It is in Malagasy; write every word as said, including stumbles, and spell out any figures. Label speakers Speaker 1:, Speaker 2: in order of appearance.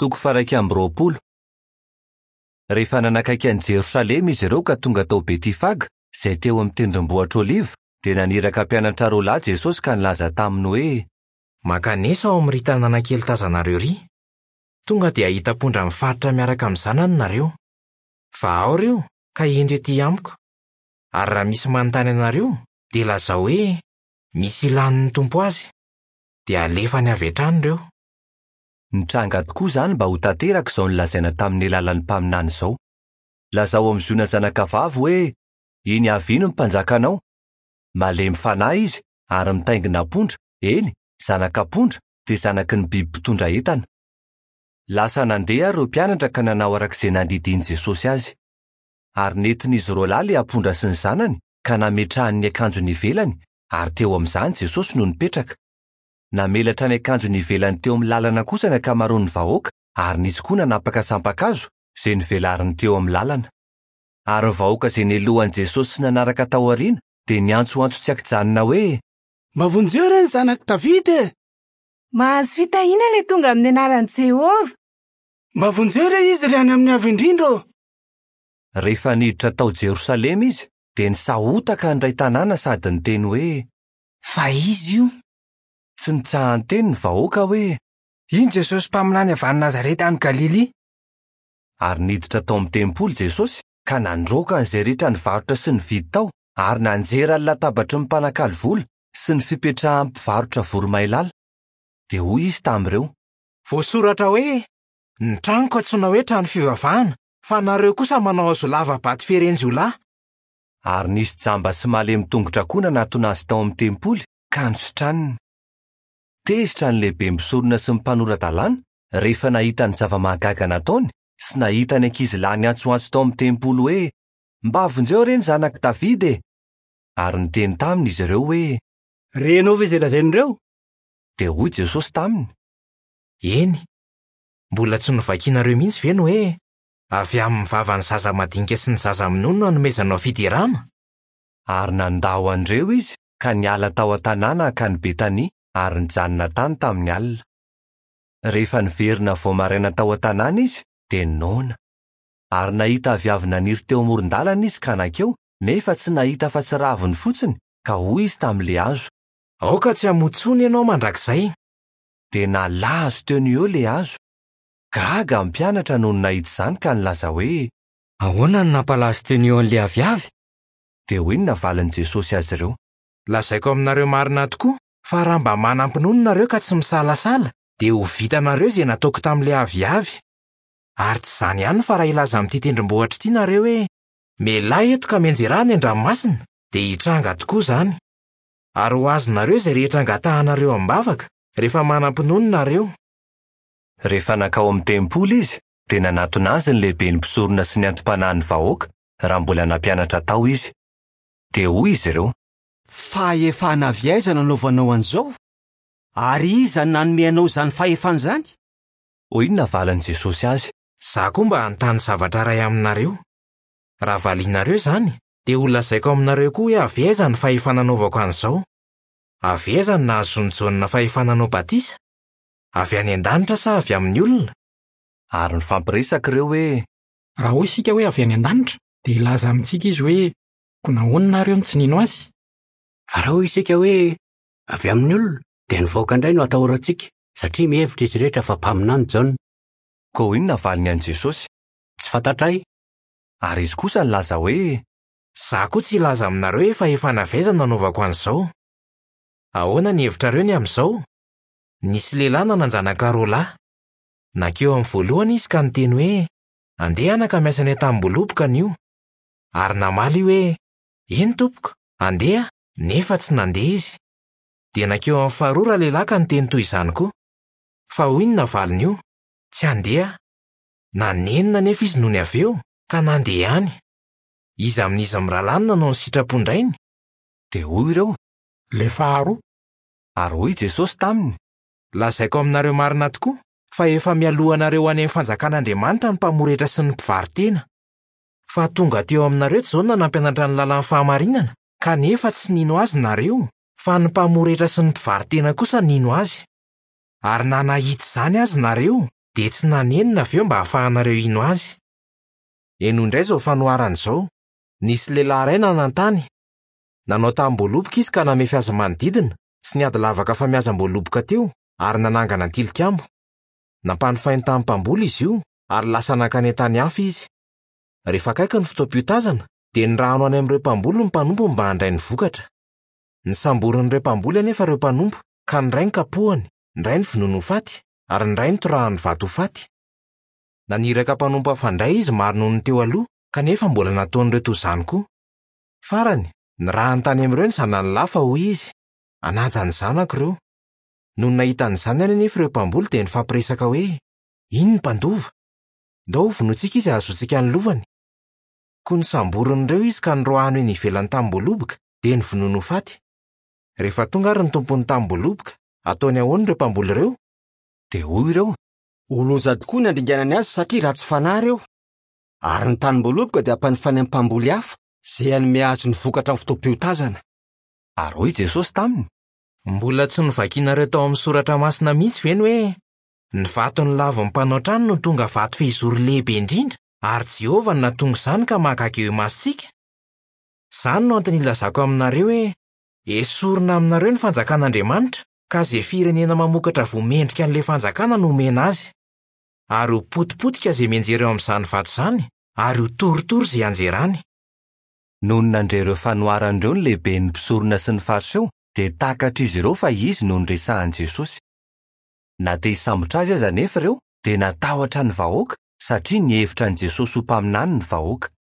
Speaker 1: Toko faha-iraika amby roapolo. Rehefa nanakaiky an'i Jerosalema izy ireo ka tonga tao Betifaga, izay teo amin'ny tendrombohitra Oliva, dia naniraka mpianatra roa lahy Jesosy ka nilaza taminy hoe:
Speaker 2: Mankanesa ao amin'ity tanàna kely tazanareo iry. Tonga dia hahita ampondra mifaritra miaraka amin'ny zanany nareo. Vahao ireo ka ento ety amiko. Ary raha misy manontany anareo, dia lazao hoe misy ilàn'ny Tompo azy. Dia alefany avy hatrany ireo.
Speaker 1: Nitranga tokoa izany mba ho tanteraka izao nolazaina tamin'ny alalan'ny mpaminany izao. Lazao amin'ny Ziona zanakavavy hoe: Iny avy iny ny mpanjakanao. Malemy fanahy izy ary mitaingina ampondra, eny, zanak'ampondra, dia zanaky ny biby mpitondra entana. Lasa nandeha ireo mpianatra ka nanao araka izay nandidian'i Jesosy azy. Ary nentin'izy roa lahy ilay ampondra sy ny zanany ka nametrahany ny akanjony ivelany, ary teo amin'izany Jesosy no nipetraka. Namelatra ny akanjony ivelany teo amin'ny lalana kosa ny ankamaroan'ny vahoaka, ary nisy koa nanapaka sampan-kazo izay novelariny teo amin'ny lalana. Ary ny vahoaka izay nelohan'i Jesosy sy nanaraka tao aoriana dia niantsoantso tsy an-kijanona hoe:
Speaker 3: Mba vonjeo re ny zanak'i Davida e!
Speaker 4: Mahazo fitahiana ilay tonga amin'ny anaran'i Jehovah.
Speaker 3: Mba vonjeo re izy ry any amin'ny avo indrindra ô!
Speaker 1: Rehefa niditra tao Jerosalema izy, dia nisahotaka ny iray tanàna sady niteny hoe:
Speaker 5: Fa izy io.
Speaker 1: Tsy nitsahan-teny ny vahoaka hoe:
Speaker 5: Iny Jesosy mpaminany avy any Nazareta any Galilia.
Speaker 1: Ary niditra tao amin'ny tempoly Jesosy ka nandroaka an'izay rehetra nivarotra sy nividy tao, ary nanjera ny latabatry ny mpanakalo vola sy ny fipetrahan'ny mpivarotra voromailala. Dia hoy izy tamin'ireo:
Speaker 2: Voasoratra hoe ny tranoko antsoina hoe trano fivavahana, fa nareo kosa manao hazo lava-bato feren-jiolahy.
Speaker 1: Ary nisy jamba sy malemy tongotra koa nanatona azy tao amin'ny tempoly ka nositraniny. Tezitra ny lehibe mpisorona sy ny mpanora-dalàna rehefa nahita ny zava-mahagaga nataony sy nahita ny ankizy lahy niantsoantso tao amin'ny tempoly hoe: Mba vonjeo re ny zanak'i Davida e! Ary niteny taminy izy ireo hoe:
Speaker 6: Renao ve izay lazain'ireo?
Speaker 1: Dia hoy Jesosy taminy:
Speaker 2: Eny, mbola tsy novakinareo mihitsy ve ny hoe avy amin'ny vavan'ny zaza madinika sy ny zaza minono no hanomezanao fiderana?
Speaker 1: Ary nandao an'ireo izy ka niala tao an-tanàna hankany Betania ary nijanona tany tamin'ny alina. Rehefa niverina vao maraina tao an-tanàna izy, dia noana. Ary nahita aviavy naniry teo amoron-dalana izy ka nankeo, nefa tsy nahita afa-tsy raviny fotsiny, ka hoy izy tamin'ilay hazo:
Speaker 2: Aoka tsy hamoa intsony ianao mandrakizay.
Speaker 1: Dia nalazo teo no eo ilay hazo. Gaga ny mpianatra nony nahita izany ka nilaza hoe:
Speaker 7: Ahoana no nampalazo teo no eo an'ilay aviavy?
Speaker 1: Dia hoy ny navalin'i Jesosy azy ireo:
Speaker 2: Lazaiko aminareo marina tokoa fa raha mba manam-pinoana nareo ka tsy misalasala, dia ho vitanareo izay nataoko tamin'ilay aviavy. Ary tsy izany ihany fa raha hilaza amin'ity tendrombohitra ity nareo hoe: Mialà eto ka mianjera any an-dranomasina, dia hitranga tokoa izany. Ary ho azonareo izay rehetra angatahanareo am-bavaka rehefa manam-pinoana nareo.
Speaker 1: Rehefa nankao amin'ny tempoly izy, dia nanatona azy ny lehiben'ny mpisorona sy ny anti-panahin'ny vahoaka raha mbola nampianatra tao izy. Dia hoy izy ireo:
Speaker 6: Fahefana avy aiza nanaovanao an'izao? Ary iza no nanome anao izany fahefana izany?
Speaker 1: Hoy ny navalin'i Jesosy azy:
Speaker 2: Izaho koa mba hanontany zavatra iray aminareo. Raha valianareo izany, dia ho lazaiko aminareo koa hoe avy aiza ny fahefana nanaovako an'izao. Avy aiza no nahazoan'i Jaona fahefana hanao batisa? Avy any an-danitra sa avy amin'ny olona?
Speaker 1: Ary nifampiresaka ireo hoe:
Speaker 8: Raha hoy isika hoe avy any an-danitra, dia hilaza amintsika izy hoe koa nahoana nareo no tsy nino azy?
Speaker 9: Fa raha hoy isika hoe avy amin'ny olona, dia ny vahoaka indray no atahorantsika, satria mihevitra izy rehetra fa mpaminany Jaona.
Speaker 1: Koa hoy ny navaliny an'i Jesosy:
Speaker 9: Tsy fantatray.
Speaker 1: Ary izy kosa nilaza hoe:
Speaker 2: Izaho koa tsy hilaza aminareo hoe fahefana avy aiza no nanaovako an'izao. Ahoana ny hevitrareo ny amin'izao? Nisy lehilahy nanan-janaka roa lahy. Nankeo amin'ny voalohany izy ka niteny hoe: Andeha anaka miasa any an-tanimboaloboka anio. Ary namaly io hoe: Eny tompoko, andeha, nefa tsy nandeha izy. Dia nankeo amin'ny faharoa ralehilahy ka niteny toy izany koa. Fa hoy ny navaliny io: Tsy handeha. Nanenina nefa izy nony avy eo ka nandeha ihany. Iza amin'izy mirahalahy no nanao ny sitrapon-drainy?
Speaker 1: Dia hoy ireo:
Speaker 8: Ilay faharoa.
Speaker 1: Ary hoy Jesosy taminy:
Speaker 2: Lazaiko aminareo marina tokoa fa efa mialoha anareo any amin'ny fanjakan'Andriamanitra ny mpamory hetra sy ny mpivaro-tena. Fa tonga teo aminareo Jaona nampianatra ny lalan'ny fahamarinana, kanefa tsy nino azy nareo, fa ny mpamory hetra sy ny mpivaro-tena kosa nino azy. Ary na nahita izany azy nareo, dia tsy nanenina avy eo mba hahafahanareo hino azy. Henoy indray izao fanoharana izao. Nisy lehilahy iray nanan-tany. Nanao tanimboaloboka izy ka namefy azy manodidina sy niady lavaka famiazam-boaloboka teo ary nanangana tilikambo. Nampanofainy tamin'ny mpamboly izy io ary lasa nankany an-tany hafa izy. Rehefa akaiky ny fotoam-piotazana dia nirahano any amin'ireo mpamboly ny mpanompony mba handray ny vokatra. Nisamborin'ireo mpamboly anefa ireo mpanompo ka ny iray nokapohany, ny iray novonoiny ho faty ary ny iray notorahany vato ho faty. Naniraka mpanompo hafa indray izy maro noho ny teo aloha kanefa mbola nataon'ireo toy izany koa. Farany, nirahany tany amin'ireo ny zanany lahy fa hoy izy: "Hanaja ny zanako ireo." Nony nahita an'izany anefa ireo mpamboly dia nifampiresaka hoe: "Iny ny mpandova. Ndao hovonointsika izy hahazoantsika ny lovany." Koa nisamborin'ireo izy ka niroahany eny ivelan'ny tanimboaloboka dia novonoiny ho faty. Rehefa tonga ary ny tompon'ny tanimboaloboka, ataony ahoana ireo mpamboly ireo?
Speaker 1: Dia hoy ireo:
Speaker 6: Ho loza tokoa ny handringanany azy satria ratsy fanahy ireo. Ary ny tanimboaloboka dia hampanofainy amin'ny mpamboly hafa izay hanome azy ny vokatra amin'ny fotoam-piotazana.
Speaker 1: Ary hoy Jesosy taminy:
Speaker 2: Mbola tsy novakinareo tao amin'ny soratra masina mihitsy ve ny hoe ny vato nolavin'ny mpanao trano no tonga vato fehizoro lehibe indrindra ary Jehovah no nahatonga izany ka mahagaga eo imasontsika? Izany no antony ilazako aminareo hoe esorina aminareo ny fanjakan'Andriamanitra ka izay firenena mamokatra voa mendrika an'ilay fanjakana no omena azy. Ary ho potipotika izay mianjera eo amin'izany vato izany ary ho torotoro izay anjerany.
Speaker 1: Nony nandre ireo fanoharana ireo ny lehiben'ny mpisorona sy ny Fariseo dia takatr'izy ireo fa izy no niresahan'i Jesosy. Na te hisambotra azy aza anefa ireo dia natahotra ny vahoaka satria nihevitra an'i Jesosy ho mpaminany ny vahoaka.